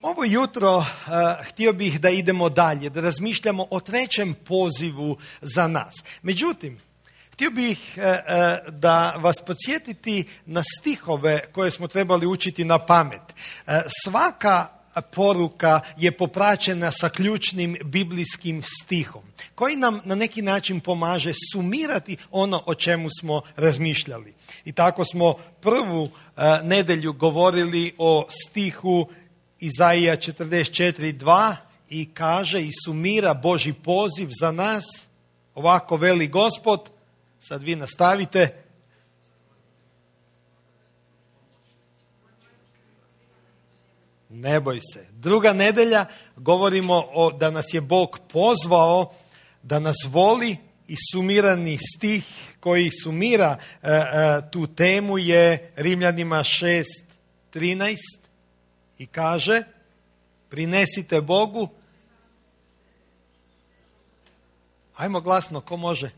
Ovo jutro htio bih da idemo dalje, da razmišljamo o trećem pozivu za nas. Međutim, htio bih da vas podsjetiti na stihove koje smo trebali učiti na pamet. Svaka poruka je popraćena sa ključnim biblijskim stihom, koji nam na neki način pomaže sumirati ono o čemu smo razmišljali. I tako smo prvu nedjelju govorili o stihu Izaija 44:2 i kaže i sumira Božji poziv za nas. Ovako veli Gospod, sad vi nastavite. Ne boj se. Druga nedjelja govorimo da nas je Bog pozvao, da nas voli, i sumirani stih koji sumira tu temu je Rimljanima 6:13 i kaže prinesite Bogu. Hajmo glasno, ko može?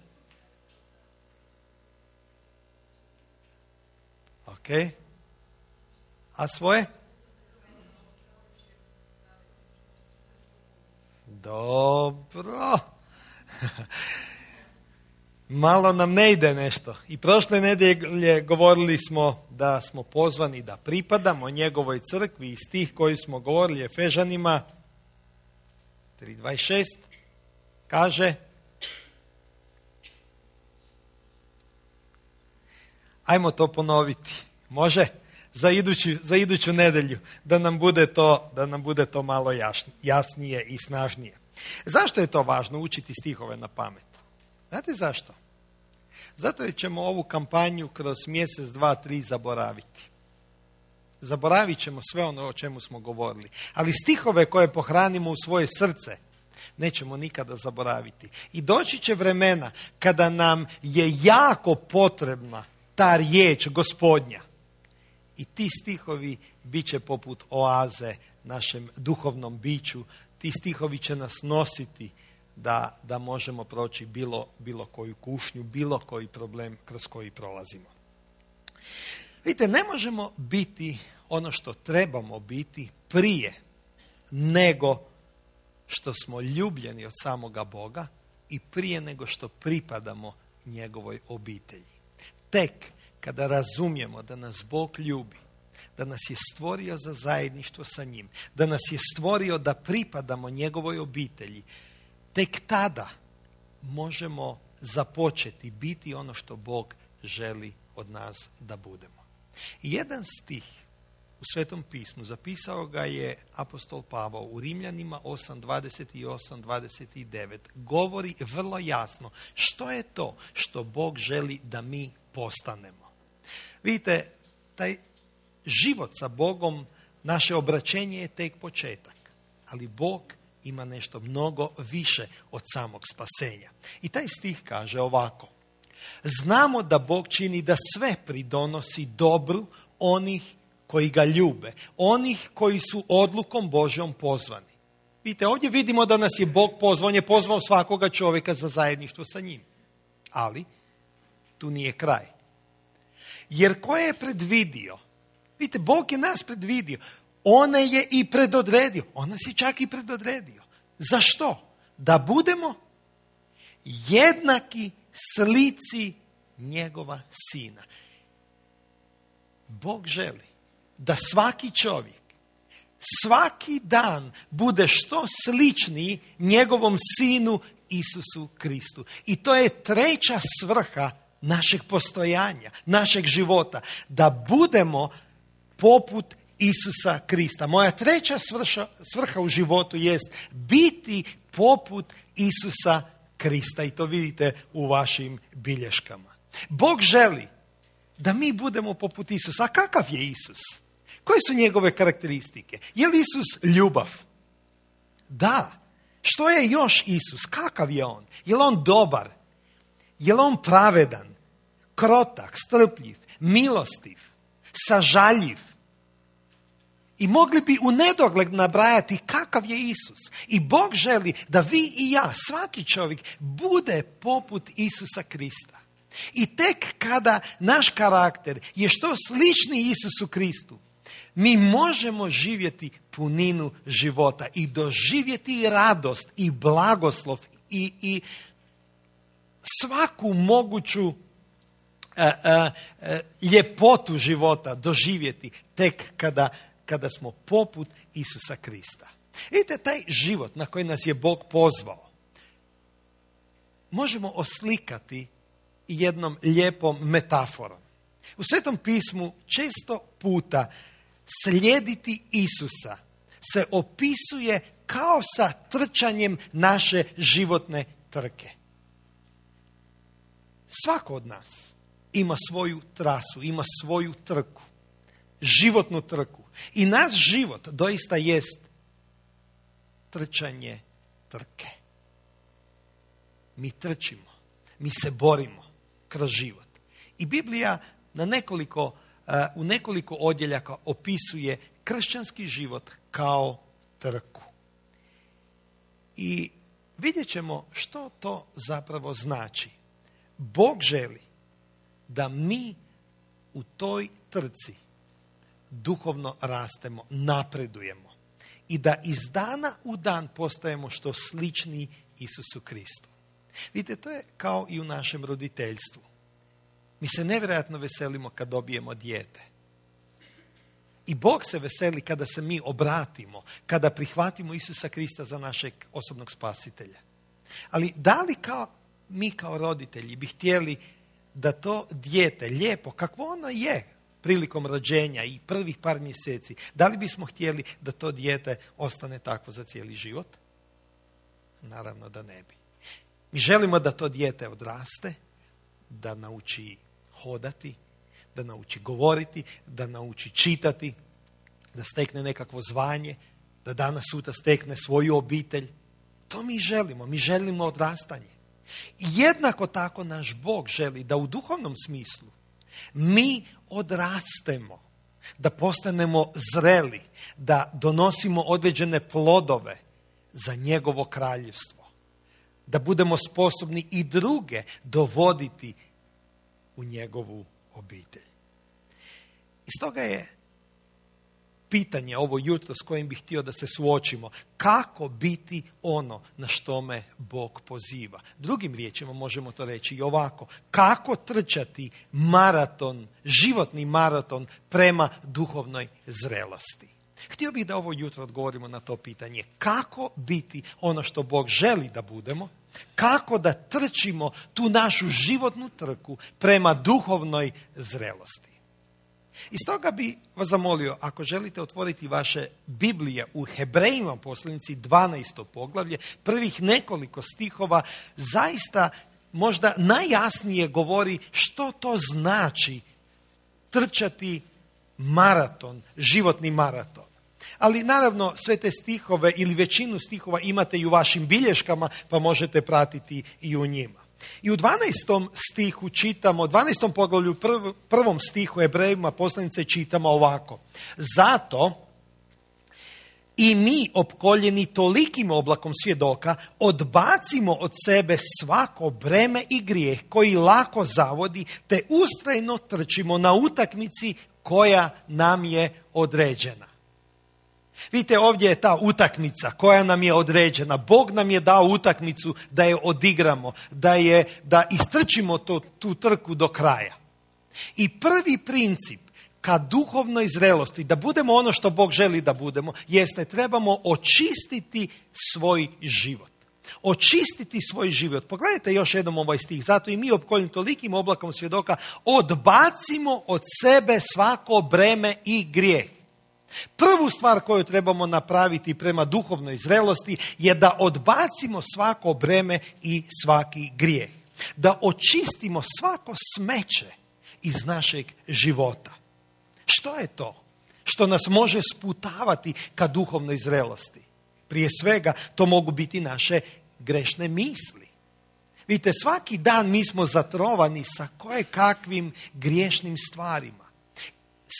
Ok. A svoje? Dobro. Malo nam ne ide nešto. I prošle nedjelje govorili smo da smo pozvani da pripadamo njegovoj crkvi i stih koji smo govorili Efežanima 3:26 kaže ajmo to ponoviti. Može? Za iduću nedjelju da nam bude to malo jasnije i snažnije. Zašto je to važno učiti stihove na pamet? Znate zašto? Zato jer ćemo ovu kampanju kroz mjesec, 2, 3 zaboraviti. Zaboravit ćemo sve ono o čemu smo govorili. Ali stihove koje pohranimo u svoje srce nećemo nikada zaboraviti. I doći će vremena kada nam je jako potrebna ta riječ Gospodnja. I ti stihovi bit će poput oaze našem duhovnom biću. Ti stihovi će nas nositi da možemo proći bilo koju kušnju, bilo koji problem kroz koji prolazimo. Vidite, ne možemo biti ono što trebamo biti prije nego što smo ljubljeni od samoga Boga i prije nego što pripadamo njegovoj obitelji. Tek kada razumijemo da nas Bog ljubi, da nas je stvorio za zajedništvo sa njim, da nas je stvorio da pripadamo njegovoj obitelji, tek tada možemo započeti biti ono što Bog želi od nas da budemo. I jedan stih u Svetom pismu zapisao ga je apostol Pavao u Rimljanima 8:20 i 8:29. Govori vrlo jasno što je to što Bog želi da mi postanemo. Vidite, taj život sa Bogom, naše obraćenje je tek početak, ali Bog ima nešto mnogo više od samog spasenja. I taj stih kaže ovako: znamo da Bog čini da sve pridonosi dobru onih koji ga ljube, onih koji su odlukom Božjom pozvani. Vidite, ovdje vidimo da nas je Bog pozvao, on je pozvao svakoga čovjeka za zajedništvo sa njim. Ali tu nije kraj. Jer ko je predvidio? Vidite, Bog je nas predvidio. On je i predodredio. On nas je čak i predodredio. Zašto? Da budemo jednaki slici njegova sina. Bog želi da svaki čovjek svaki dan bude što sličniji njegovom sinu Isusu Kristu. I to je treća svrha našeg postojanja, našeg života. Da budemo poput Isusa Krista. Moja treća svrha u životu jest biti poput Isusa Krista. I to vidite u vašim bilješkama. Bog želi da mi budemo poput Isusa. A kakav je Isus? Koje su njegove karakteristike? Je li Isus ljubav? Da. Što je još Isus? Kakav je on? Je li on dobar? Je li on pravedan? Krotak, strpljiv, milostiv, sažaljiv? I mogli bi u nedogled nabrajati kakav je Isus. I Bog želi da vi i ja, svaki čovjek, bude poput Isusa Krista. I tek kada naš karakter je što slični Isusu Kristu, mi možemo živjeti puninu života i doživjeti radost i blagoslov i svaku moguću ljepotu života doživjeti tek kada smo poput Isusa Krista. Vidite, taj život na koji nas je Bog pozvao možemo oslikati jednom lijepom metaforom. U Svetom pismu često puta slijediti Isusa se opisuje kao sa trčanjem naše životne trke. Svako od nas ima svoju trasu, ima svoju trku, životnu trku. I naš život doista jest trčanje trke. Mi trčimo, mi se borimo kroz život. I Biblija u nekoliko odjeljaka opisuje kršćanski život kao trku. I vidjet ćemo što to zapravo znači. Bog želi da mi u toj trci duhovno rastemo, napredujemo i da iz dana u dan postajemo što sličniji Isusu Kristu. Vidite, to je kao i u našem roditeljstvu. Mi se nevjerojatno veselimo kad dobijemo dijete. I Bog se veseli kada se mi obratimo, kada prihvatimo Isusa Krista za našeg osobnog spasitelja. Ali da li mi kao roditelji bi htjeli da to dijete lijepo, kakvo ono je prilikom rođenja i prvih par mjeseci, da li bismo htjeli da to dijete ostane takvo za cijeli život? Naravno da ne bi. Mi želimo da to dijete odraste, da nauči hodati, da nauči govoriti, da nauči čitati, da stekne nekakvo zvanje, da danas sutra stekne svoju obitelj. To mi želimo. Mi želimo odrastanje. I jednako tako naš Bog želi da u duhovnom smislu mi odrastemo, da postanemo zreli, da donosimo određene plodove za njegovo kraljevstvo, da budemo sposobni i druge dovoditi u njegovu obitelj. I stoga je pitanje ovo jutro s kojim bih htio da se suočimo, kako biti ono na što me Bog poziva. Drugim riječima možemo to reći i ovako, kako trčati maraton, životni maraton prema duhovnoj zrelosti. Htio bih da ovo jutro odgovorimo na to pitanje, kako biti ono što Bog želi da budemo, kako da trčimo tu našu životnu trku prema duhovnoj zrelosti. I stoga bi vas zamolio, ako želite otvoriti vaše Biblije u Hebrejima poslanici 12. poglavlje, prvih nekoliko stihova zaista možda najjasnije govori što to znači trčati maraton, životni maraton. Ali naravno sve te stihove ili većinu stihova imate i u vašim bilješkama, pa možete pratiti i u njima. I u 12. stihu čitamo, 12. poglavlju, prvom stihu Hebrejima poslanice čitamo ovako. Zato i mi, opkoljeni tolikim oblakom svjedoka, odbacimo od sebe svako breme i grijeh koji lako zavodi, te ustrajno trčimo na utakmici koja nam je određena. Vidite, ovdje je ta utakmica koja nam je određena. Bog nam je dao utakmicu da je odigramo, da istrčimo tu trku do kraja. I prvi princip ka duhovnoj zrelosti, da budemo ono što Bog želi da budemo, jeste trebamo očistiti svoj život. Očistiti svoj život. Pogledajte još jednom ovaj stih. Zato i mi, opkoljeni tolikim oblakom svjedoka, odbacimo od sebe svako breme i grijeh. Prvu stvar koju trebamo napraviti prema duhovnoj zrelosti je da odbacimo svako breme i svaki grijeh. Da očistimo svako smeće iz našeg života. Što je to što nas može sputavati ka duhovnoj zrelosti? Prije svega to mogu biti naše grešne misli. Vidite, svaki dan mi smo zatrovani sa kojekakvim griješnim stvarima.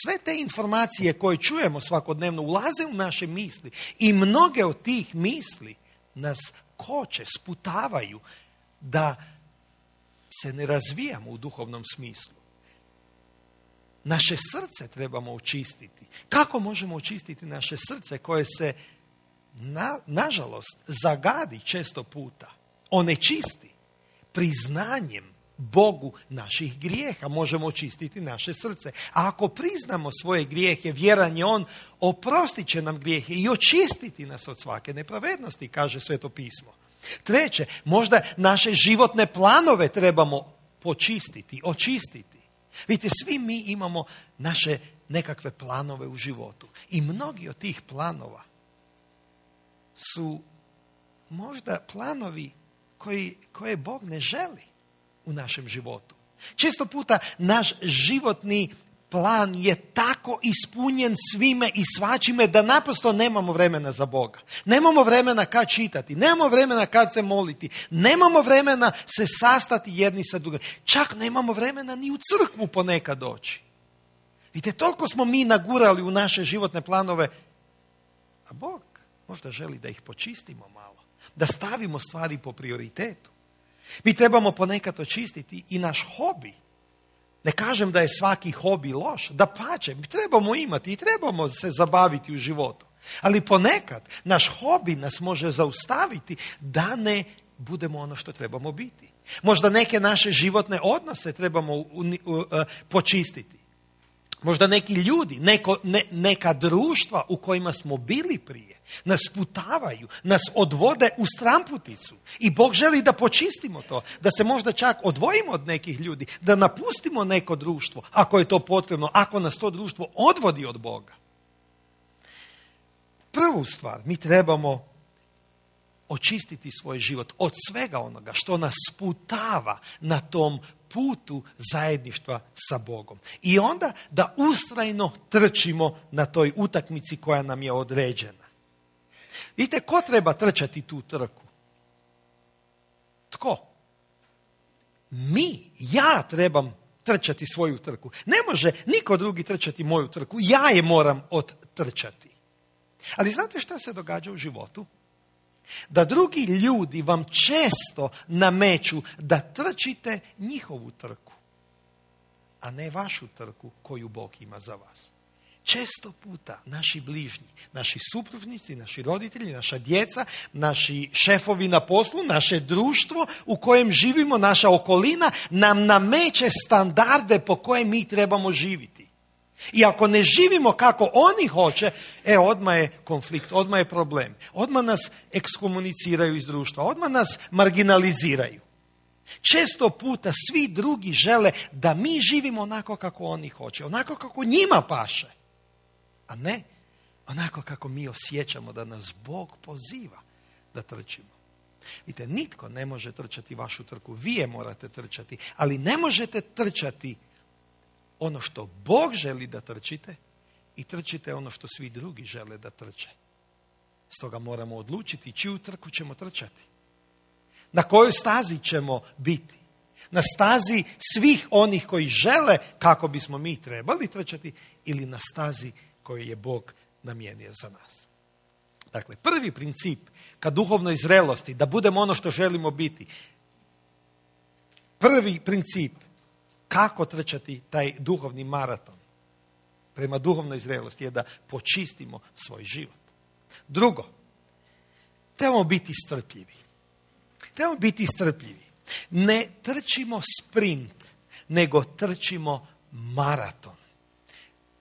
Sve te informacije koje čujemo svakodnevno ulaze u naše misli i mnoge od tih misli nas koče, sputavaju da se ne razvijamo u duhovnom smislu. naše srce trebamo očistiti. Kako možemo očistiti naše srce koje se, nažalost, zagadi često puta, onečisti priznanjem Bogu naših grijeha? Možemo očistiti naše srce. A ako priznamo svoje grijehe, vjeran je On, oprostit će nam grijehe i očistiti nas od svake nepravednosti, kaže Sveto pismo. Treće, možda naše životne planove trebamo počistiti, očistiti. Vidite, svi mi imamo naše nekakve planove u životu. I mnogi od tih planova su možda planovi koje Bog ne želi u našem životu. Često puta naš životni plan je tako ispunjen svime i svačime da naprosto nemamo vremena za Boga. Nemamo vremena kad čitati, nemamo vremena kad se moliti, nemamo vremena se sastati jedni sa drugim. Čak nemamo vremena ni u crkvu ponekad doći. Vidite, toliko smo mi nagurali u naše životne planove, a Bog možda želi da ih počistimo malo, da stavimo stvari po prioritetu. Mi trebamo ponekad očistiti i naš hobi. Ne kažem da je svaki hobi loš, dapače, mi trebamo imati i trebamo se zabaviti u životu. Ali ponekad naš hobi nas može zaustaviti da ne budemo ono što trebamo biti. Možda neke naše životne odnose trebamo počistiti. Možda neki ljudi, neka društva u kojima smo bili prije, nas putavaju, nas odvode u stramputicu. I Bog želi da počistimo to, da se možda čak odvojimo od nekih ljudi, da napustimo neko društvo, ako je to potrebno, ako nas to društvo odvodi od Boga. Prvu stvar, mi trebamo očistiti svoj život od svega onoga što nas sputava na tom putu zajedništva sa Bogom. I onda da ustrajno trčimo na toj utakmici koja nam je određena. Vidite, ko treba trčati tu trku? Tko? Ja trebam trčati svoju trku. Ne može niko drugi trčati moju trku. Ja je moram odtrčati. Ali znate šta se događa u životu? Da drugi ljudi vam često nameću da trčite njihovu trku, a ne vašu trku koju Bog ima za vas. Često puta naši bližnji, naši supružnici, naši roditelji, naša djeca, naši šefovi na poslu, naše društvo u kojem živimo, naša okolina nam nameće standarde po koje mi trebamo živjeti. I ako ne živimo kako oni hoće, odmah je konflikt, odmah je problem. Odmah nas ekskomuniciraju iz društva, odmah nas marginaliziraju. Često puta svi drugi žele da mi živimo onako kako oni hoće, onako kako njima paše, a ne onako kako mi osjećamo da nas Bog poziva da trčimo. Vidite, nitko ne može trčati vašu trku, vi je morate trčati, ali ne možete trčati ono što Bog želi da trčite i trčite ono što svi drugi žele da trče. Stoga moramo odlučiti čiju trku ćemo trčati. Na kojoj stazi ćemo biti? Na stazi svih onih koji žele kako bismo mi trebali trčati ili na stazi koju je Bog namijenio za nas. Dakle, prvi princip ka duhovnoj zrelosti, da budemo ono što želimo biti. Prvi princip kako trčati taj duhovni maraton prema duhovnoj zrelosti je da počistimo svoj život. Drugo, trebamo biti strpljivi. Trebamo biti strpljivi. Ne trčimo sprint, nego trčimo maraton.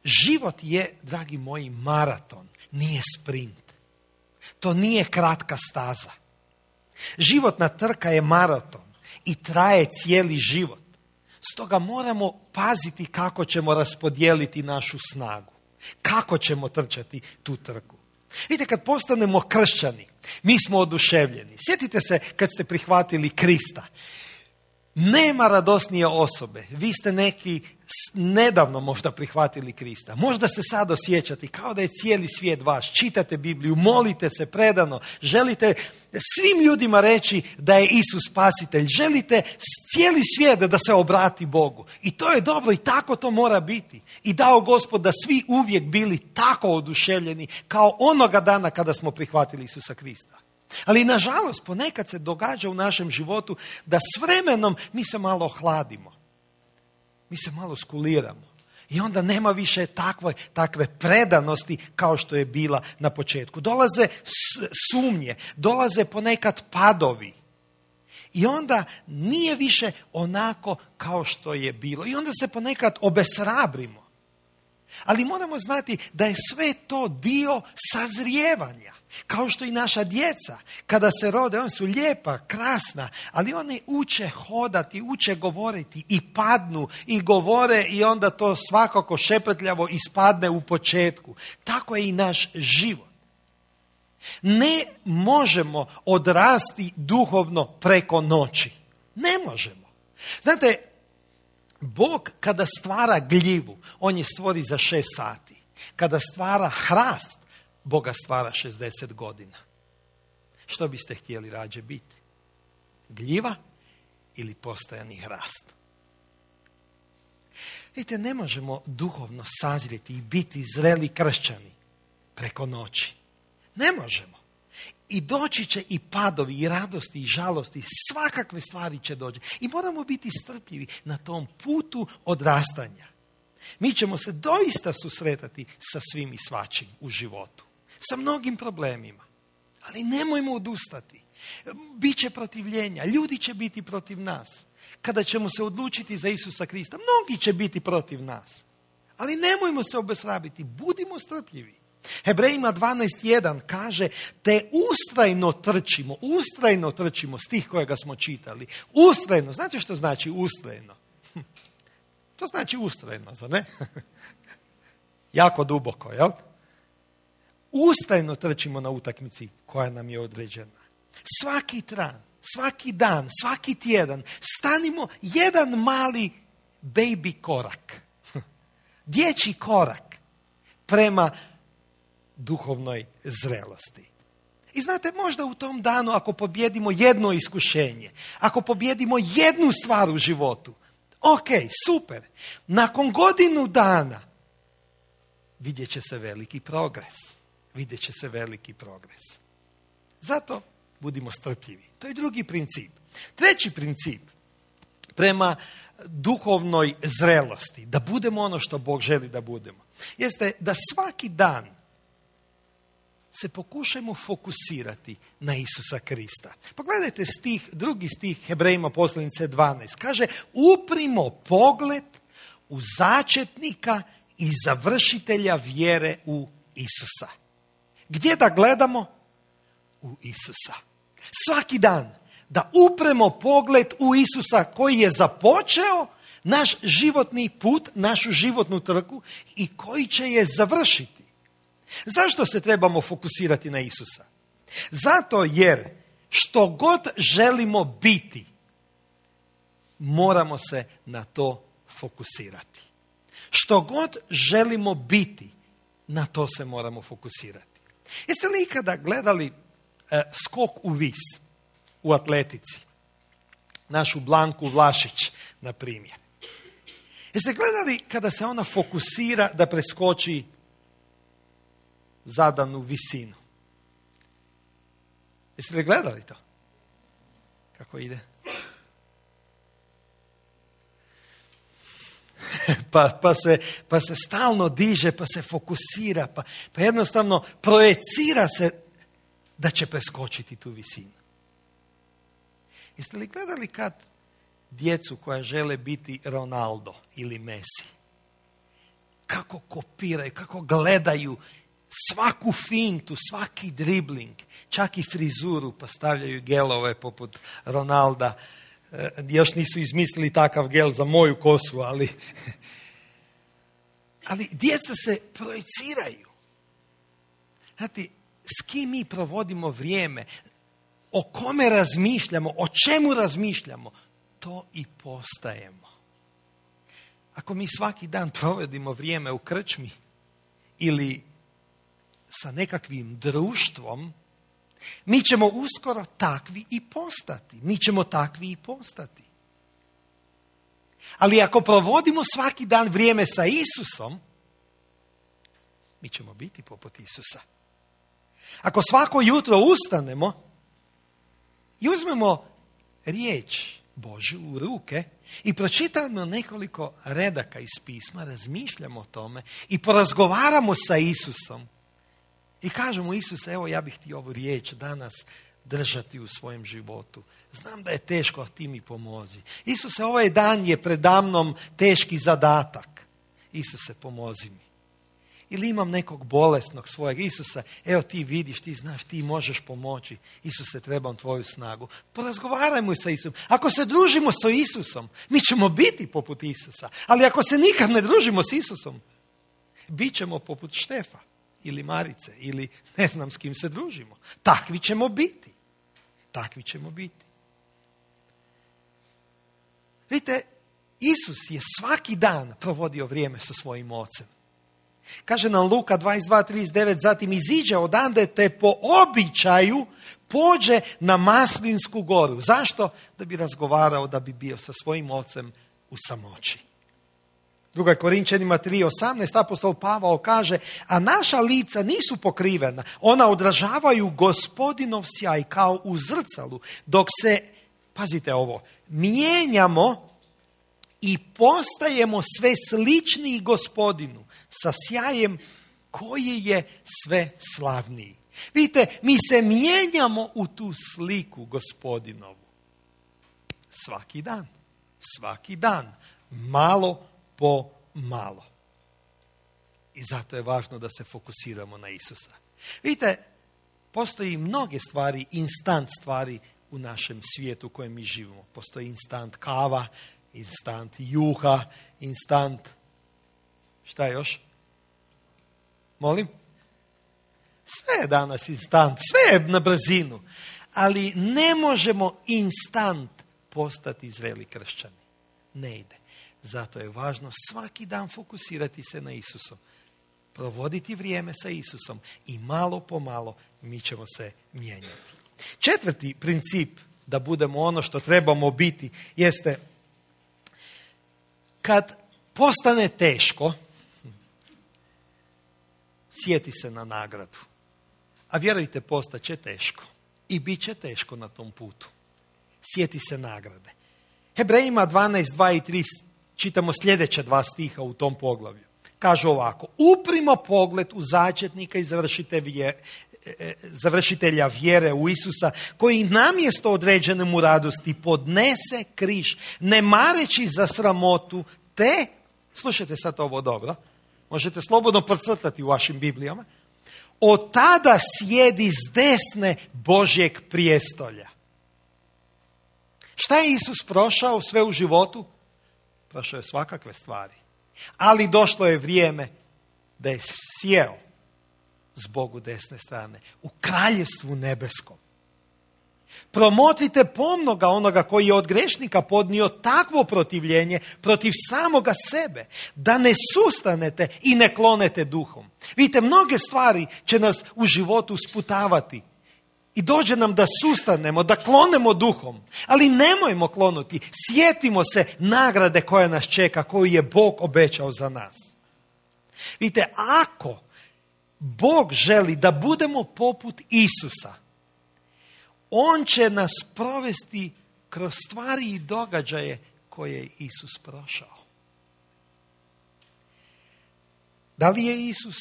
Život je, dragi moji, maraton, nije sprint. To nije kratka staza. Životna trka je maraton i traje cijeli život. Stoga moramo paziti kako ćemo raspodijeliti našu snagu. Kako ćemo trčati tu trku. Vidite, kad postanemo kršćani, mi smo oduševljeni. Sjetite se kad ste prihvatili Krista. Nema radosnije osobe. Vi ste neki nedavno možda prihvatili Krista. Možda se sad osjećate kao da je cijeli svijet vaš. Čitate Bibliju, molite se predano. Želite svim ljudima reći da je Isus spasitelj. Želite cijeli svijet da se obrati Bogu. I to je dobro i tako to mora biti. I dao Gospod da svi uvijek bili tako oduševljeni kao onoga dana kada smo prihvatili Isusa Krista. Ali nažalost ponekad se događa u našem životu da s vremenom mi se malo ohladimo. Mi se malo skuliramo. I onda nema više takve predanosti kao što je bila na početku. Dolaze sumnje, dolaze ponekad padovi. I onda nije više onako kao što je bilo. I onda se ponekad obeshrabrimo. Ali moramo znati da je sve to dio sazrijevanja. Kao što i naša djeca, kada se rode, oni su lijepa, krasna, ali oni uče hodati, uče govoriti i padnu i govore i onda to svakako šepetljavo ispadne u početku. Tako je i naš život. Ne možemo odrasti duhovno preko noći. Ne možemo. Znate, Bog kada stvara gljivu, on je stvori za 6 sati. Kada stvara hrast, Boga stvara 60 godina. Što biste htjeli rađe biti? Gljiva ili postojani hrast? Vidite, ne možemo duhovno sazrijeti i biti zreli kršćani preko noći. Ne možemo. I doći će i padovi, i radosti, i žalosti, svakakve stvari će doći. I moramo biti strpljivi na tom putu odrastanja. Mi ćemo se doista susretati sa svim i svačim u životu. Sa mnogim problemima. Ali nemojmo odustati. Biće protivljenja, ljudi će biti protiv nas. Kada ćemo se odlučiti za Isusa Krista, mnogi će biti protiv nas. Ali nemojmo se obeshrabiti, budimo strpljivi. Hebrejima 12.1 kaže, te ustrajno trčimo, stih kojega smo čitali. Ustrajno, znate što znači ustrajno? To znači ustrajno, zar ne? Jako duboko, jel? Ustrajno trčimo na utakmici koja nam je određena. Svaki dan, svaki tjedan stanimo jedan mali baby korak. Dječji korak prema duhovnoj zrelosti. I znate, možda u tom danu ako pobjedimo jedno iskušenje, ako pobjedimo jednu stvar u životu, ok, super. Nakon godinu dana vidjet će se veliki progres. Zato budimo strpljivi. To je drugi princip. Treći princip prema duhovnoj zrelosti, da budemo ono što Bog želi da budemo, jeste da svaki dan se pokušajmo fokusirati na Isusa Krista. Pogledajte drugi stih Hebrejima poslanice 12. Kaže, uprimo pogled u začetnika i završitelja vjere u Isusa. Gdje da gledamo? U Isusa. Svaki dan da upremo pogled u Isusa koji je započeo naš životni put, našu životnu trku i koji će je završiti. Zašto se trebamo fokusirati na Isusa? Zato jer što god želimo biti, moramo se na to fokusirati. Što god želimo biti, na to se moramo fokusirati. Jeste li ikada gledali skok u vis u atletici? Našu Blanku Vlašić, na primjer. Jeste gledali kada se ona fokusira da preskoči zadanu visinu? Jeste li gledali to? Kako ide? Pa se stalno diže, pa se fokusira, pa jednostavno projecira se da će preskočiti tu visinu. Jeste li gledali kad djecu koja žele biti Ronaldo ili Messi, kako kopiraju, kako gledaju svaku fintu, svaki dribling, čak i frizuru, pa stavljaju gelove poput Ronalda. Još nisu izmislili takav gel za moju kosu, ali djeca se projiciraju. Znate, s kim mi provodimo vrijeme, o kome razmišljamo, o čemu razmišljamo, to i postajemo. Ako mi svaki dan provodimo vrijeme u krčmi ili sa nekakvim društvom, mi ćemo uskoro takvi i postati. Ali ako provodimo svaki dan vrijeme sa Isusom, mi ćemo biti poput Isusa. Ako svako jutro ustanemo i uzmemo riječ Božju u ruke i pročitamo nekoliko redaka iz pisma, razmišljamo o tome i porazgovaramo sa Isusom i kažemo: Isuse, evo ja bih ti ovu riječ danas držati u svojem životu. Znam da je teško, a ti mi pomozi. Isuse, ovaj dan je predamnom teški zadatak. Isuse, pomozi mi. Ili imam nekog bolesnog svojeg. Isuse, evo ti vidiš, ti znaš, ti možeš pomoći. Isuse, trebam tvoju snagu. Porazgovarajmo sa Isusom. Ako se družimo sa Isusom, mi ćemo biti poput Isusa. Ali ako se nikad ne družimo s Isusom, bit ćemo poput Štefa ili Marice ili ne znam s kim se družimo. Takvi ćemo biti. Takvi ćemo biti. Vidite, Isus je svaki dan provodio vrijeme sa svojim ocem. Kaže nam Luka 22:39, zatim iziđe odande te po običaju pođe na Maslinsku goru. Zašto? Da bi razgovarao, da bi bio sa svojim ocem u samoći. 2. Korinčanima 3:18 apostol Pavao kaže: a naša lica nisu pokrivena, ona odražavaju Gospodinov sjaj kao u zrcalu, dok se, pazite ovo, mijenjamo i postajemo sve sličniji Gospodinu sa sjajem koji je sve slavniji. Vidite, mi se mijenjamo u tu sliku Gospodinovu. Svaki dan, malo po malo. I zato je važno da se fokusiramo na Isusa. Vidite, postoji mnoge stvari, instant stvari u našem svijetu u kojem mi živimo. Postoji instant kava, instant juha, instant... Šta još? Molim? Sve je danas instant, sve je na brzinu. Ali ne možemo instant postati zreli kršćani. Ne ide. Zato je važno svaki dan fokusirati se na Isusom. Provoditi vrijeme sa Isusom i malo po malo mi ćemo se mijenjati. 4. princip da budemo ono što trebamo biti jeste: kad postane teško, sjeti se na nagradu. A vjerujte, postaće teško. I bit će teško na tom putu. Sjeti se nagrade. Hebrejima 12:2 i 3 čitamo sljedeća 2 stiha u tom poglavlju. Kaže ovako: uprimo pogled u začetnika i završitelja vjere u Isusa, koji namjesto određene mu radosti podnese križ, ne mareći za sramotu, te, slušajte sad ovo dobro, možete slobodno procrtati u vašim Biblijama, od tada sjedi s desne Božjeg prijestolja. Šta je Isus prošao sve u životu? Prošao je svakakve stvari. Ali došlo je vrijeme da je sjeo s Bogu desne strane u kraljevstvu nebeskom. Promotrite pomno ga onoga koji je od grešnika podnio takvo protivljenje protiv samoga sebe, da ne sustanete i ne klonete duhom. Vidite, mnoge stvari će nas u životu sputavati i dođe nam da sustanemo, da klonemo duhom. Ali nemojmo klonuti, sjetimo se nagrade koja nas čeka, koju je Bog obećao za nas. Vidite, ako Bog želi da budemo poput Isusa, On će nas provesti kroz stvari i događaje koje je Isus prošao. Da li je Isus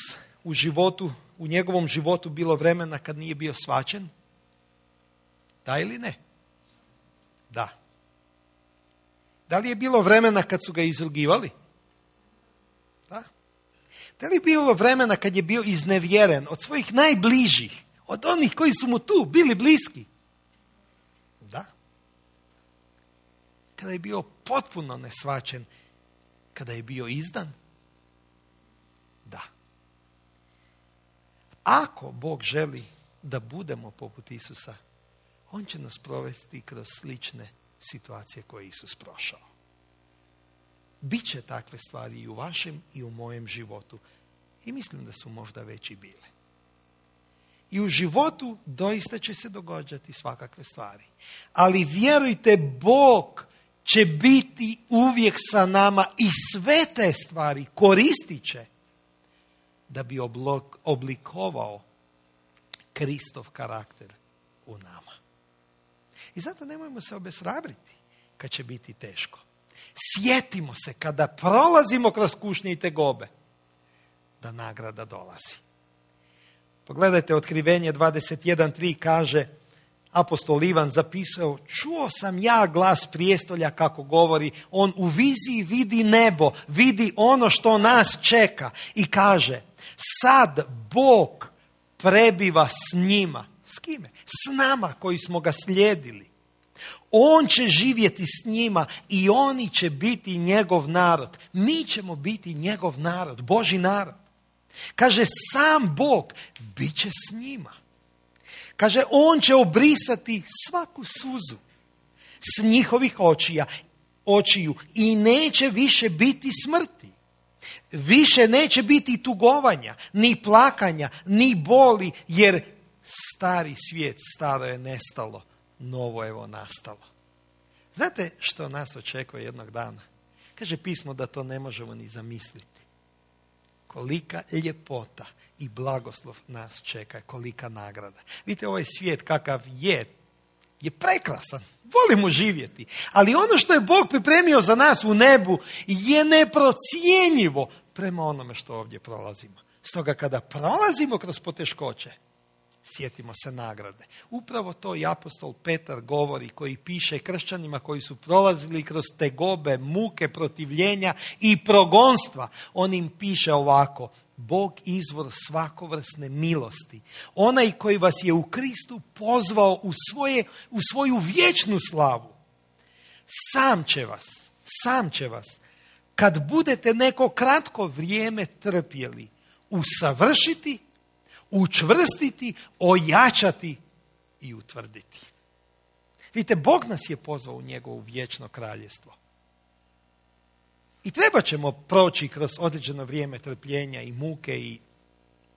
u njegovom životu bilo vremena kad nije bio shvaćen? Da ili ne? Da. Da li je bilo vremena kad su ga izrugivali? Da. Da li je bilo vremena kad je bio iznevjeren od svojih najbližih, od onih koji su mu tu bili bliski? Da. Kada je bio potpuno neshvaćen, kada je bio izdan? Da. Ako Bog želi da budemo poput Isusa, On će nas provesti kroz slične situacije koje je Isus prošao. Biće takve stvari i u vašem i u mojem životu. I mislim da su možda već i bile. I u životu doista će se događati svakakve stvari. Ali vjerujte, Bog će biti uvijek sa nama i sve te stvari koristit će da bi oblikovao Kristov karakter u nama. I zato nemojmo se obeshrabriti. kad će biti teško. Sjetimo se kada prolazimo kroz kušnje i tegobe, da nagrada dolazi. Pogledajte, Otkrivenje 21.3 kaže, apostol Ivan zapisao, čuo sam ja glas prijestolja kako govori, on u viziji vidi nebo, vidi ono što nas čeka i kaže, sad Bog prebiva s njima. S kime? S nama koji smo ga slijedili. On će živjeti s njima i oni će biti njegov narod. Mi ćemo biti njegov narod, Božji narod. Kaže, sam Bog bit će s njima. Kaže, on će obrisati svaku suzu s njihovih očiju i neće više biti smrti. Više neće biti tugovanja, ni plakanja, ni boli, jer stari svijet, staro je nestalo, novo evo nastalo. Znate što nas očekuje jednog dana? Kaže pismo da to ne možemo ni zamisliti. Kolika ljepota i blagoslov nas čeka, kolika nagrada. Vidite, ovaj svijet kakav je prekrasan. Volimo živjeti. Ali ono što je Bog pripremio za nas u nebu je neprocjenjivo prema onome što ovdje prolazimo. Stoga kada prolazimo kroz poteškoće, sjetimo se nagrade. Upravo to i apostol Petar govori, koji piše kršćanima koji su prolazili kroz tegobe, muke, protivljenja i progonstva. On im piše ovako, Bog izvor svakovrsne milosti, onaj koji vas je u Kristu pozvao u svoju vječnu slavu, sam će vas, kad budete neko kratko vrijeme trpjeli, usavršiti, učvrstiti, ojačati i utvrditi. Vidite, Bog nas je pozvao u njegovo vječno kraljestvo. I treba ćemo proći kroz određeno vrijeme trpljenja i muke i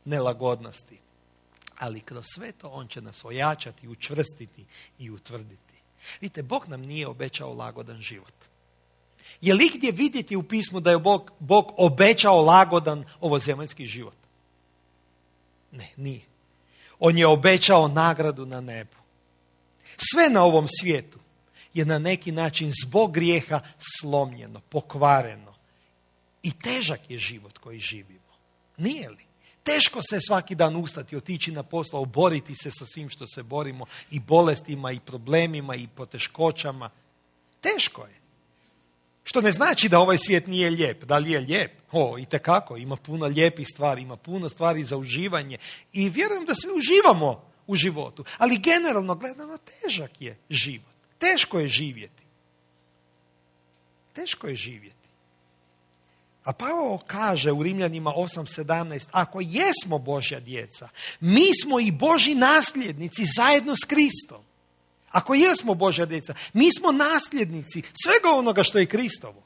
nelagodnosti. Ali kroz sve to on će nas ojačati, učvrstiti i utvrditi. Vidite, Bog nam nije obećao lagodan život. Je li gdje vidjeti u pismu da je Bog obećao lagodan ovozemaljski život? Ne, nije. On je obećao nagradu na nebu. Sve na ovom svijetu je na neki način zbog grijeha slomljeno, pokvareno. I težak je život koji živimo. Nije li? Teško se svaki dan ustati, otići na posao, boriti se sa svim što se borimo, i bolestima, i problemima, i poteškoćama. Teško je. Što ne znači da ovaj svijet nije lijep. Da li je lijep? Itekako. Ima puno lijepih stvari, ima puno stvari za uživanje. I vjerujem da svi uživamo u životu. Ali generalno gledano težak je život. Teško je živjeti. Teško je živjeti. A Pavao kaže u Rimljanima 8.17, ako jesmo Božja djeca, mi smo i Božji nasljednici zajedno s Kristom. Ako jesmo Božja djeca, mi smo nasljednici svega onoga što je Kristovo.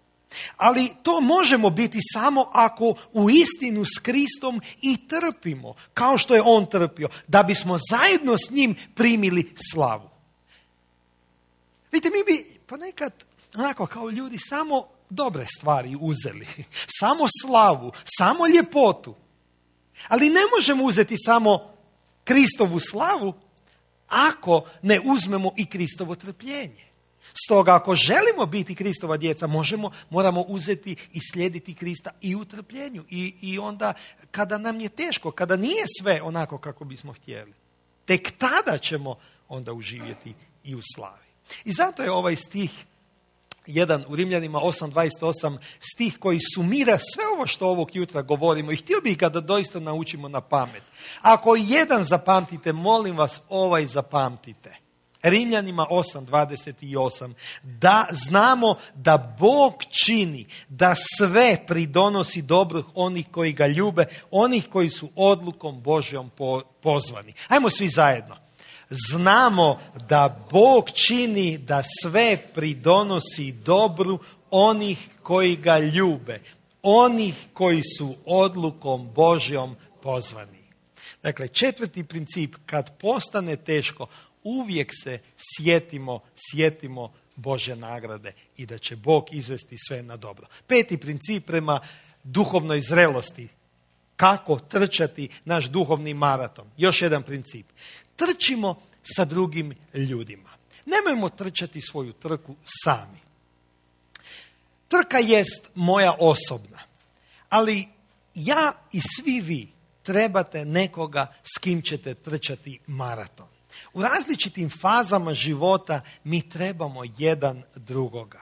Ali to možemo biti samo ako u istinu s Kristom i trpimo, kao što je on trpio, da bismo zajedno s njim primili slavu. Vidite, mi bi ponekad, onako kao ljudi, samo dobre stvari uzeli, samo slavu, samo ljepotu. Ali ne možemo uzeti samo Kristovu slavu ako ne uzmemo i Kristovo trpljenje. Stoga ako želimo biti Kristova djeca, moramo uzeti i slijediti Krista i u trpljenju. I onda kada nam je teško, kada nije sve onako kako bismo htjeli, tek tada ćemo onda uživjeti i u slavi. I zato je ovaj stih jedan u Rimljanima 8.28 stih koji sumira sve ovo što ovog jutra govorimo, i htio bih ga da doista naučimo na pamet. Ako jedan zapamtite, molim vas, ovaj zapamtite. Rimljanima 8.28, da znamo da Bog čini da sve pridonosi dobro onih koji ga ljube, onih koji su odlukom Božjom pozvani. Ajmo svi zajedno. Znamo da Bog čini da sve pridonosi dobru onih koji ga ljube, onih koji su odlukom Božjom pozvani. Dakle, četvrti princip, kad postane teško, uvijek se sjetimo Božje nagrade i da će Bog izvesti sve na dobro. Peti princip prema duhovnoj zrelosti. Kako trčati naš duhovni maraton? Još jedan princip. Trčimo sa drugim ljudima. Nemojmo trčati svoju trku sami. Trka jest moja osobna, ali ja i svi vi trebate nekoga s kim ćete trčati maraton. U različitim fazama života mi trebamo jedan drugoga.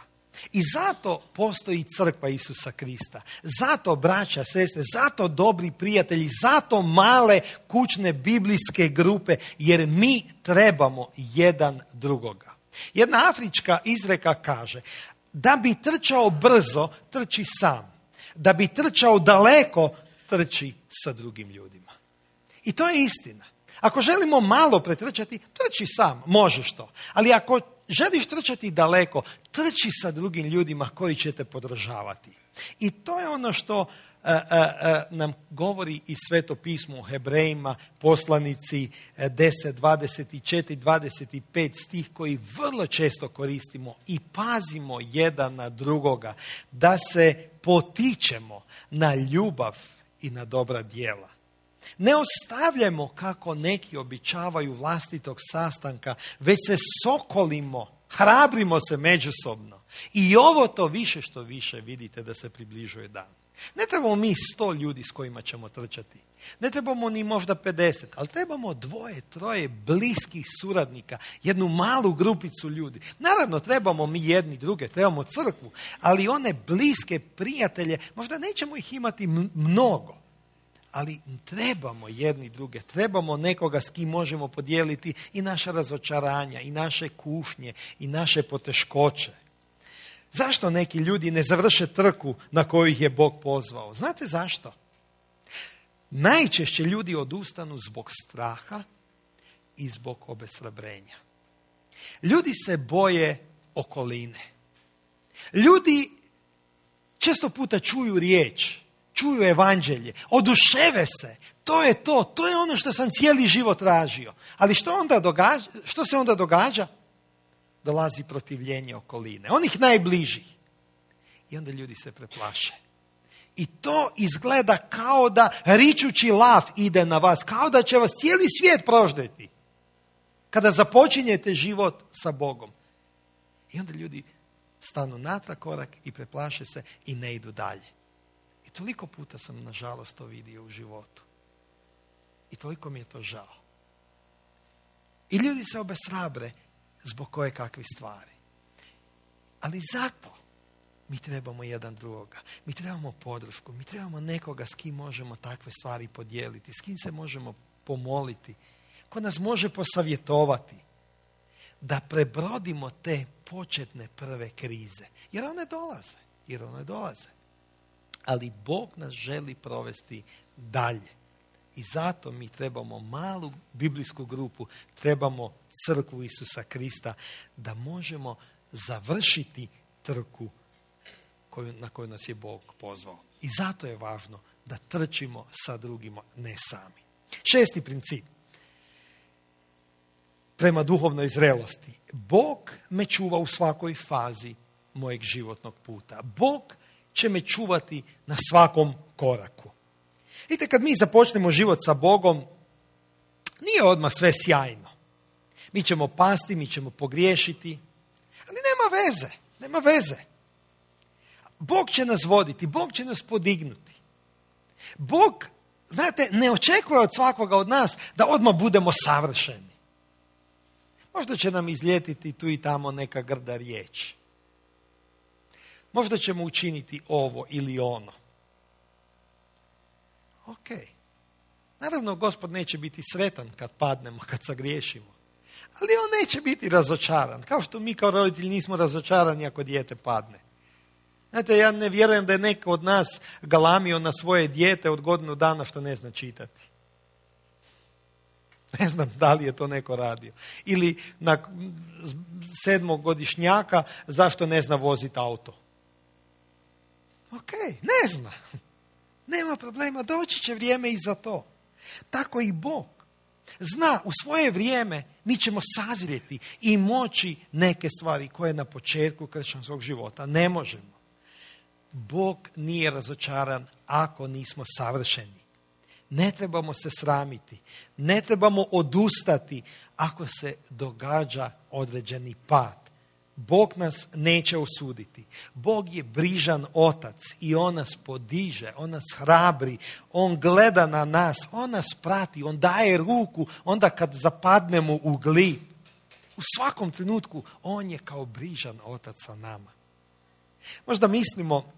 I zato postoji crkva Isusa Krista. Zato braća, sestre, zato dobri prijatelji, zato male kućne biblijske grupe, jer mi trebamo jedan drugoga. Jedna afrička izreka kaže, da bi trčao brzo, trči sam. Da bi trčao daleko, trči sa drugim ljudima. I to je istina. Ako želimo malo pretrčati, trči sam, možeš to. Ali ako želiš trčati daleko, trči sa drugim ljudima koji će te podržavati. I to je ono što nam govori i Sveto pismo u Hebrejima, poslanici 10, 24, 25 stih koji vrlo često koristimo i pazimo jedan na drugoga, da se potičemo na ljubav i na dobra djela. Ne ostavljamo kako neki običavaju vlastitog sastanka, već se sokolimo, hrabrimo se međusobno. I ovo to više što više vidite da se približuje dan. Ne trebamo mi 100 ljudi s kojima ćemo trčati. Ne trebamo ni možda 50, ali trebamo 2, 3 bliskih suradnika, jednu malu grupicu ljudi. Naravno, trebamo mi jedni druge, trebamo crkvu, ali one bliske prijatelje, možda nećemo ih imati mnogo. Ali trebamo jedni druge, trebamo nekoga s kim možemo podijeliti i naša razočaranja, i naše kušnje, i naše poteškoće. Zašto neki ljudi ne završe trku na koju ih je Bog pozvao? Znate zašto? Najčešće ljudi odustanu zbog straha i zbog obeshrabrenja. Ljudi se boje okoline. Ljudi često puta čuju riječ, čuju evanđelje, oduševe se. To je ono što sam cijeli život tražio. Ali što se onda događa? Dolazi protivljenje okoline, onih najbližih. I onda ljudi se preplaše. I to izgleda kao da ričući lav ide na vas, kao da će vas cijeli svijet proždeti. Kada započinjete život sa Bogom. I onda ljudi stanu natrag korak i preplaše se i ne idu dalje. I toliko puta sam, nažalost, to vidio u životu. I toliko mi je to žao. I ljudi se obeshrabre zbog koje kakvih stvari. Ali zato mi trebamo jedan drugoga. Mi trebamo podršku. Mi trebamo nekoga s kim možemo takve stvari podijeliti. S kim se možemo pomoliti. Ko nas može posavjetovati. Da prebrodimo te početne prve krize. Jer one dolaze. Ali Bog nas želi provesti dalje. I zato mi trebamo malu biblijsku grupu, trebamo crkvu Isusa Krista, da možemo završiti trku na koju nas je Bog pozvao. I zato je važno da trčimo sa drugima, ne sami. 6. princip. Prema duhovnoj zrelosti. Bog me čuva u svakoj fazi mojeg životnog puta. Bog će me čuvati na svakom koraku. Vidite, kad mi započnemo život sa Bogom, nije odmah sve sjajno. Mi ćemo pasti, mi ćemo pogriješiti, ali nema veze. Bog će nas voditi, Bog će nas podignuti. Bog, znate, ne očekuje od svakoga od nas da odmah budemo savršeni. Možda će nam izljetiti tu i tamo neka grda riječ. Možda ćemo učiniti ovo ili ono. Ok. Naravno, Gospod neće biti sretan kad padnemo, kad sagriješimo. Ali on neće biti razočaran. Kao što mi kao roditelji nismo razočarani ako dijete padne. Znate, ja ne vjerujem da je neko od nas galamio na svoje dijete od godinu dana što ne zna čitati. Ne znam da li je to neko radio. Ili na 7-godišnjaka zašto ne zna voziti auto. Ok, ne zna. Nema problema, doći će vrijeme i za to. Tako i Bog zna, u svoje vrijeme mi ćemo sazrijeti i moći neke stvari koje na početku kršćanskog života ne možemo. Bog nije razočaran ako nismo savršeni. Ne trebamo se sramiti, ne trebamo odustati ako se događa određeni pad. Bog nas neće osuditi. Bog je brižan otac i on nas podiže, on nas hrabri, on gleda na nas, on nas prati, on daje ruku onda kad zapadnemo u glib. U svakom trenutku on je kao brižan otac sa nama. Možda mislimo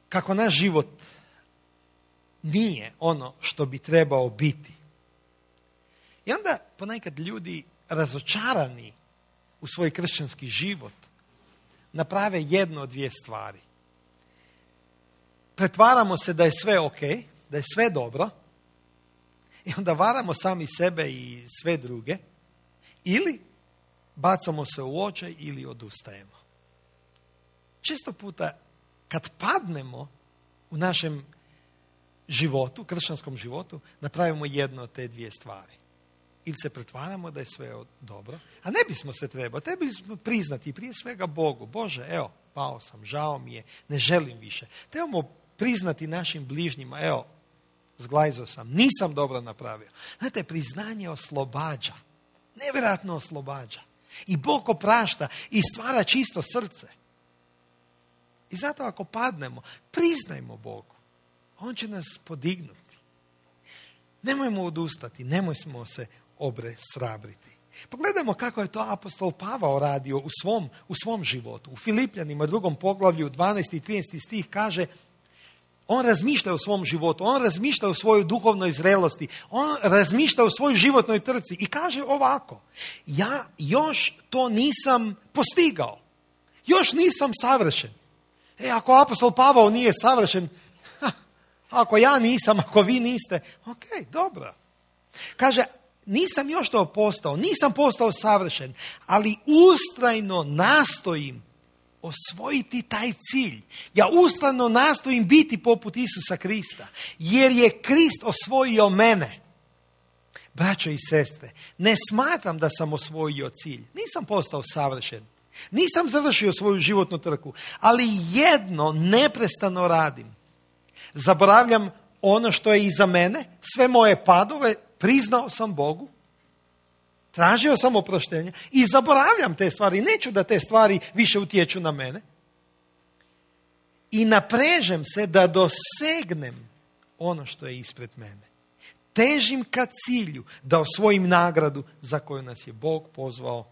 kako naš život nije ono što bi trebao biti. I onda ponekad ljudi razočarani u svoj kršćanski život naprave jedno od dvije stvari. Pretvaramo se da je sve ok, da je sve dobro i onda varamo sami sebe i sve druge ili bacamo se u očaj ili odustajemo. Često puta kad padnemo u našem životu, kršćanskom životu, napravimo jedno od te dvije stvari. Ili se pretvaramo da je sve dobro, a ne bismo se trebali bismo priznati prije svega Bogu. Bože, evo, pao sam, žao mi je, ne želim više. Trebamo priznati našim bližnjima, evo, zglajzao sam, nisam dobro napravio. Znate, priznanje oslobađa, nevjerojatno oslobađa. I Bog oprašta i stvara čisto srce. I zato ako padnemo, priznajmo Bogu. On će nas podignuti. Nemojmo odustati, nemojmo se obeshrabriti. Pogledajmo kako je to apostol Pavao radio u svom životu. U Filipljanima 2. poglavlju 12. i 13. stih kaže, on razmišlja o svom životu, on razmišlja o svojoj duhovnoj zrelosti, on razmišlja o svojoj životnoj trci i kaže ovako, ja još to nisam postigao, još nisam savršen. Ako apostol Pavao nije savršen, ako ja nisam, ako vi niste, ok, dobro. Kaže, nisam još to postao, nisam postao savršen, ali ustrajno nastojim osvojiti taj cilj. Ja ustrajno nastojim biti poput Isusa Krista, jer je Krist osvojio mene. Braćo i sestre, ne smatram da sam osvojio cilj. Nisam postao savršen. Nisam završio svoju životnu trku, ali jedno neprestano radim. Zaboravljam ono što je iza mene, sve moje padove, priznao sam Bogu, tražio sam oproštenje i zaboravljam te stvari. Neću da te stvari više utječu na mene. I naprežem se da dosegnem ono što je ispred mene. Težim ka cilju da osvojim nagradu za koju nas je Bog pozvao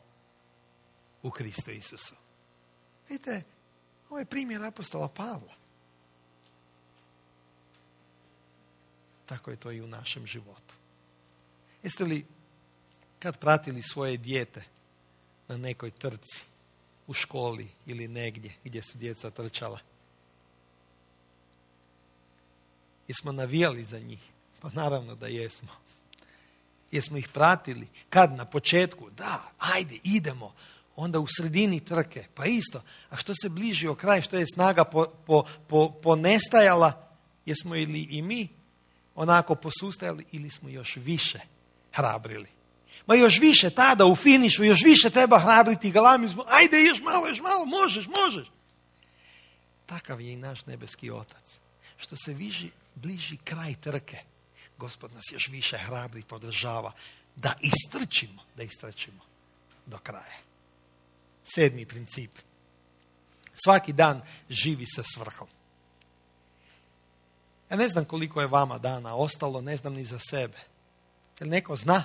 u Kristu Isusu. Vidite, ovo je primjer apostola Pavla. Tako je to i u našem životu. Jeste li kad pratili svoje dijete na nekoj trci, u školi ili negdje gdje su djeca trčala? Jesmo navijali za njih? Pa naravno da jesmo. Jesmo ih pratili? Kad? Na početku? Da, ajde, idemo. Onda u sredini trke, pa isto. A što se bližio kraj, što je snaga ponestajala, jesmo ili i mi onako posustajali ili smo još više hrabrili? Ma još više tada u finišu, još više treba hrabriti, galamizmu, ajde još malo, možeš. Takav je i naš nebeski otac. Što se bliži kraj trke, Gospod nas još više hrabri, podržava da istrčimo do kraja. 7. princip. Svaki dan živi sa svrhom. Ja ne znam koliko je vama dana ostalo, ne znam ni za sebe. Jel neko zna?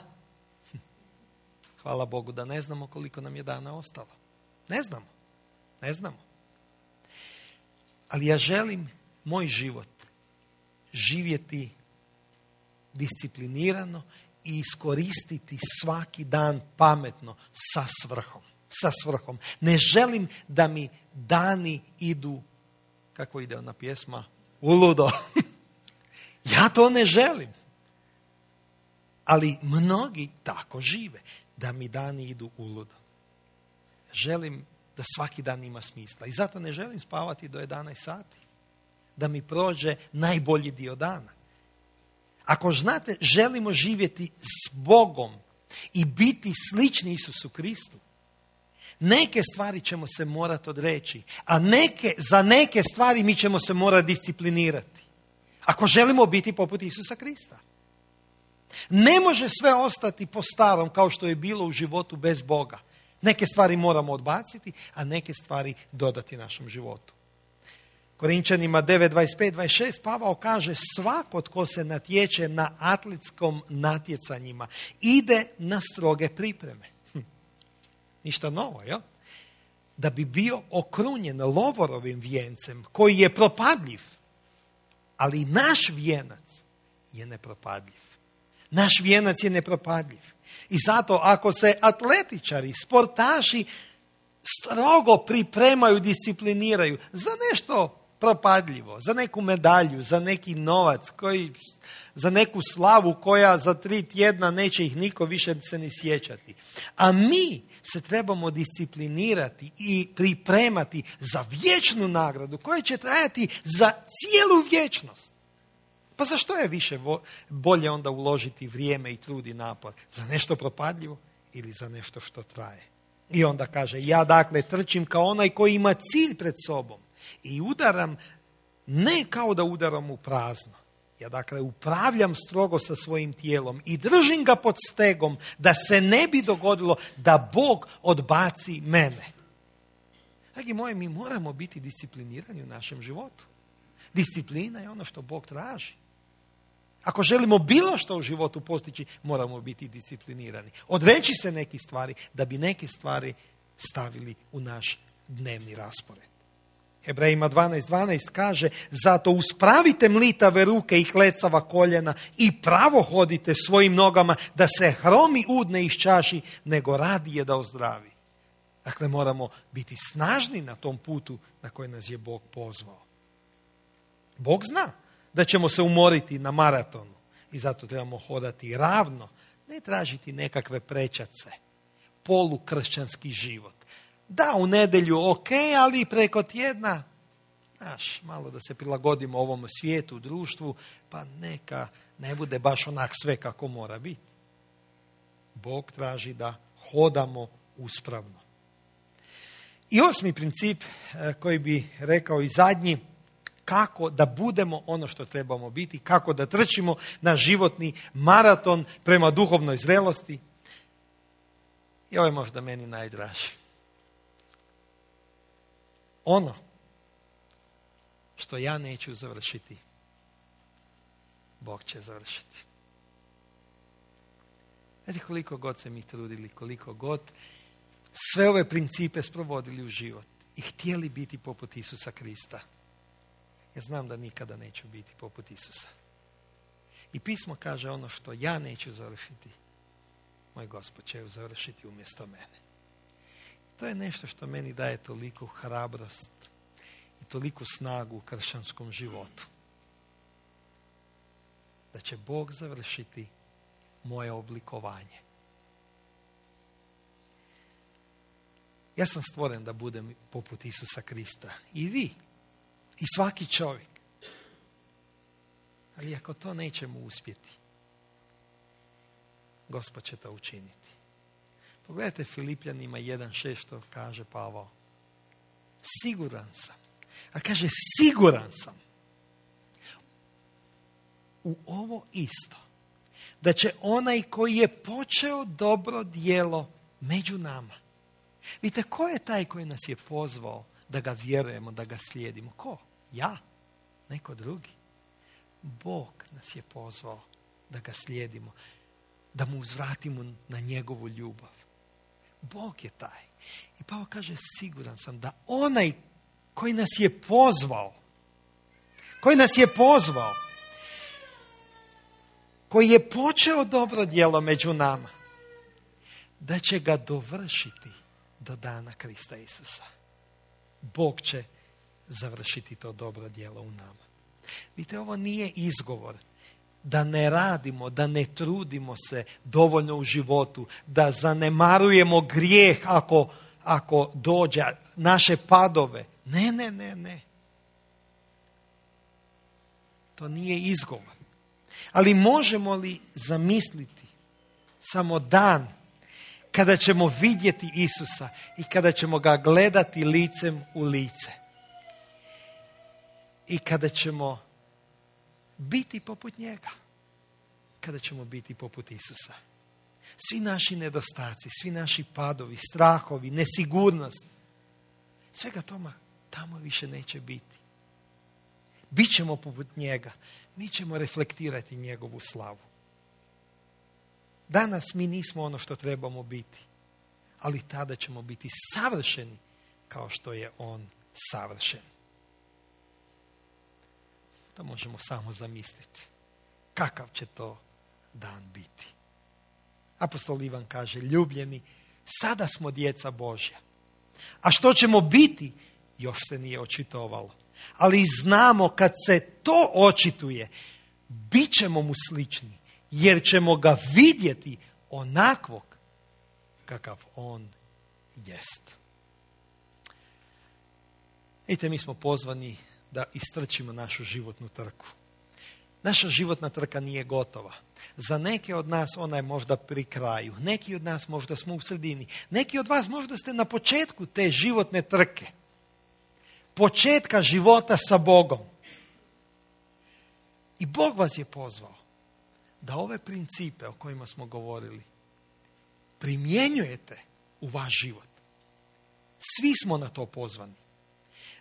Hvala Bogu da ne znamo koliko nam je dana ostalo. Ne znamo. Ali ja želim moj život živjeti disciplinirano i iskoristiti svaki dan pametno sa svrhom. Ne želim da mi dani idu, kako ide ona pjesma, uludo. Ja to ne želim. Ali mnogi tako žive, da mi dani idu uludo. Želim da svaki dan ima smisla. I zato ne želim spavati do 11 sati. Da mi prođe najbolji dio dana. Ako znate, želimo živjeti s Bogom i biti slični Isusu Kristu, neke stvari ćemo se morati odreći, a za neke stvari mi ćemo se morati disciplinirati. Ako želimo biti poput Isusa Krista. Ne može sve ostati po starom kao što je bilo u životu bez Boga. Neke stvari moramo odbaciti, a neke stvari dodati našem životu. Korinčanima 9, 25, 26 Pavao kaže svako tko se natječe na atletskom natjecanjima ide na stroge pripreme. Ništa novo, jel? Da bi bio okrunjen lovorovim vijencem koji je propadljiv, ali naš vijenac je nepropadljiv. Naš vijenac je nepropadljiv. I zato ako se atletičari, sportaši strogo pripremaju, discipliniraju za nešto propadljivo, za neku medalju, za neki novac, za neku slavu koja za 3 tjedna neće ih niko više se ni sjećati. A mi se trebamo disciplinirati i pripremati za vječnu nagradu koja će trajati za cijelu vječnost. Pa zašto je više bolje onda uložiti vrijeme i trud i napor? Za nešto propadljivo ili za nešto što traje? I onda kaže, ja dakle trčim kao onaj koji ima cilj pred sobom i udaram ne kao da udaram u prazno. Ja dakle upravljam strogo sa svojim tijelom i držim ga pod stegom da se ne bi dogodilo da Bog odbaci mene. Dragi moji, mi moramo biti disciplinirani u našem životu. Disciplina je ono što Bog traži. Ako želimo bilo što u životu postići, moramo biti disciplinirani. Odreći se nekih stvari da bi neke stvari stavili u naš dnevni raspored. Hebrejima 12.12 kaže, zato uspravite mlitave ruke i klecava koljena i pravo hodite svojim nogama da se hromi ud ne iščaši, nego radije da ozdravi. Dakle, moramo biti snažni na tom putu na koji nas je Bog pozvao. Bog zna da ćemo se umoriti na maratonu i zato trebamo hodati ravno, ne tražiti nekakve prečace, polukršćanski život. Da, u nedjelju ok, ali preko tjedna, malo da se prilagodimo ovom svijetu, društvu, pa neka ne bude baš onak sve kako mora biti. Bog traži da hodamo uspravno. I 8. princip koji bi rekao i zadnji, kako da budemo ono što trebamo biti, kako da trčimo na životni maraton prema duhovnoj zrelosti. I ovo je možda meni najdraži. Ono što ja neću završiti, Bog će završiti. Znate koliko god se mi trudili, koliko god sve ove principe sprovodili u život i htjeli biti poput Isusa Krista, ja znam da nikada neću biti poput Isusa. I pismo kaže ono što ja neću završiti, moj Gospod će završiti umjesto mene. To je nešto što meni daje toliku hrabrost i toliku snagu u kršćanskom životu. Da će Bog završiti moje oblikovanje. Ja sam stvoren da budem poput Isusa Krista. I vi. I svaki čovjek. Ali ako to nećemo uspjeti, Gospod će to učiniti. Pogledajte Filipljanima 1.6 što kaže Pavao. Siguran sam. A kaže siguran sam u ovo isto. Da će onaj koji je počeo dobro djelo među nama. Vidite, ko je taj koji nas je pozvao da ga vjerujemo, da ga slijedimo? Ko? Ja? Neko drugi? Bog nas je pozvao da ga slijedimo, da mu uzvratimo na njegovu ljubav. Bog je taj. I Pavao kaže, siguran sam da onaj koji nas je pozvao, koji je počeo dobro djelo među nama, da će ga dovršiti do dana Krista Isusa. Bog će završiti to dobro djelo u nama. Vidite, ovo nije izgovor da ne radimo, da ne trudimo se dovoljno u životu, da zanemarujemo grijeh ako dođe, naše padove. Ne. To nije izgovor. Ali možemo li zamisliti samo dan kada ćemo vidjeti Isusa i kada ćemo ga gledati licem u lice? I kada ćemo biti poput njega. kada ćemo biti poput Isusa. Svi naši nedostaci, svi naši padovi, strahovi, nesigurnost, svega toma tamo više neće biti. Bićemo poput njega. Mi ćemo reflektirati njegovu slavu. Danas mi nismo ono što trebamo biti, ali tada ćemo biti savršeni kao što je on savršen. To možemo samo zamisliti. Kakav će to dan biti? Apostol Ivan kaže, ljubljeni, sada smo djeca Božja. A što ćemo biti, još se nije očitovalo. Ali znamo kad se to očituje, bit ćemo mu slični, jer ćemo ga vidjeti onakvog kakav on jest. Vidite, mi smo pozvani da istrčimo našu životnu trku. Naša životna trka nije gotova. Za neke od nas ona je možda pri kraju. Neki od nas možda smo u sredini. Neki od vas možda ste na početku te životne trke. Početka života sa Bogom. I Bog vas je pozvao da ove principe o kojima smo govorili primjenjujete u vaš život. Svi smo na to pozvani.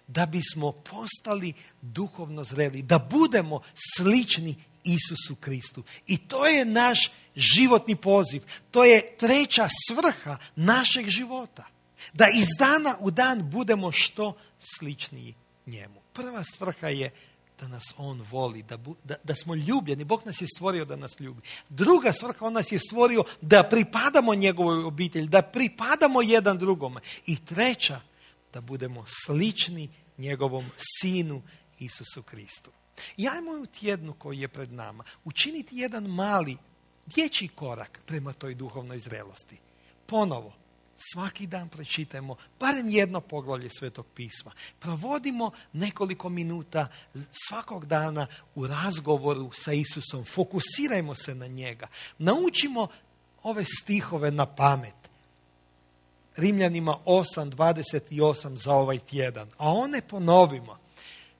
Da bismo postali duhovno zreli, da budemo slični Isusu Kristu. I to je naš životni poziv. To je treća svrha našeg života. Da iz dana u dan budemo što sličniji njemu. Prva svrha je da nas on voli, da smo ljubljeni. Bog nas je stvorio da nas ljubi. Druga svrha, on nas je stvorio da pripadamo njegovoj obitelji, da pripadamo jedan drugome. I treća, da budemo slični njegovom sinu Isusu Kristu. I ajmo u tjednu koji je pred nama učiniti jedan mali dječji korak prema toj duhovnoj zrelosti. Ponovo, svaki dan pročitajmo barem jedno poglavlje Svetog pisma. Provodimo nekoliko minuta svakog dana u razgovoru sa Isusom. Fokusirajmo se na njega. Naučimo ove stihove na pamet. Rimljanima 8:28 za ovaj tjedan. A one ponovimo.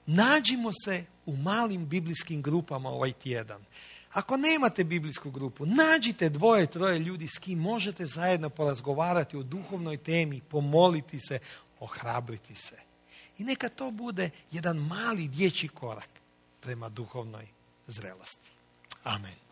Nađimo se u malim biblijskim grupama ovaj tjedan. Ako nemate biblijsku grupu, nađite 2-3 ljudi s kim možete zajedno porazgovarati o duhovnoj temi, pomoliti se, ohrabriti se. I neka to bude jedan mali dječji korak prema duhovnoj zrelosti. Amen.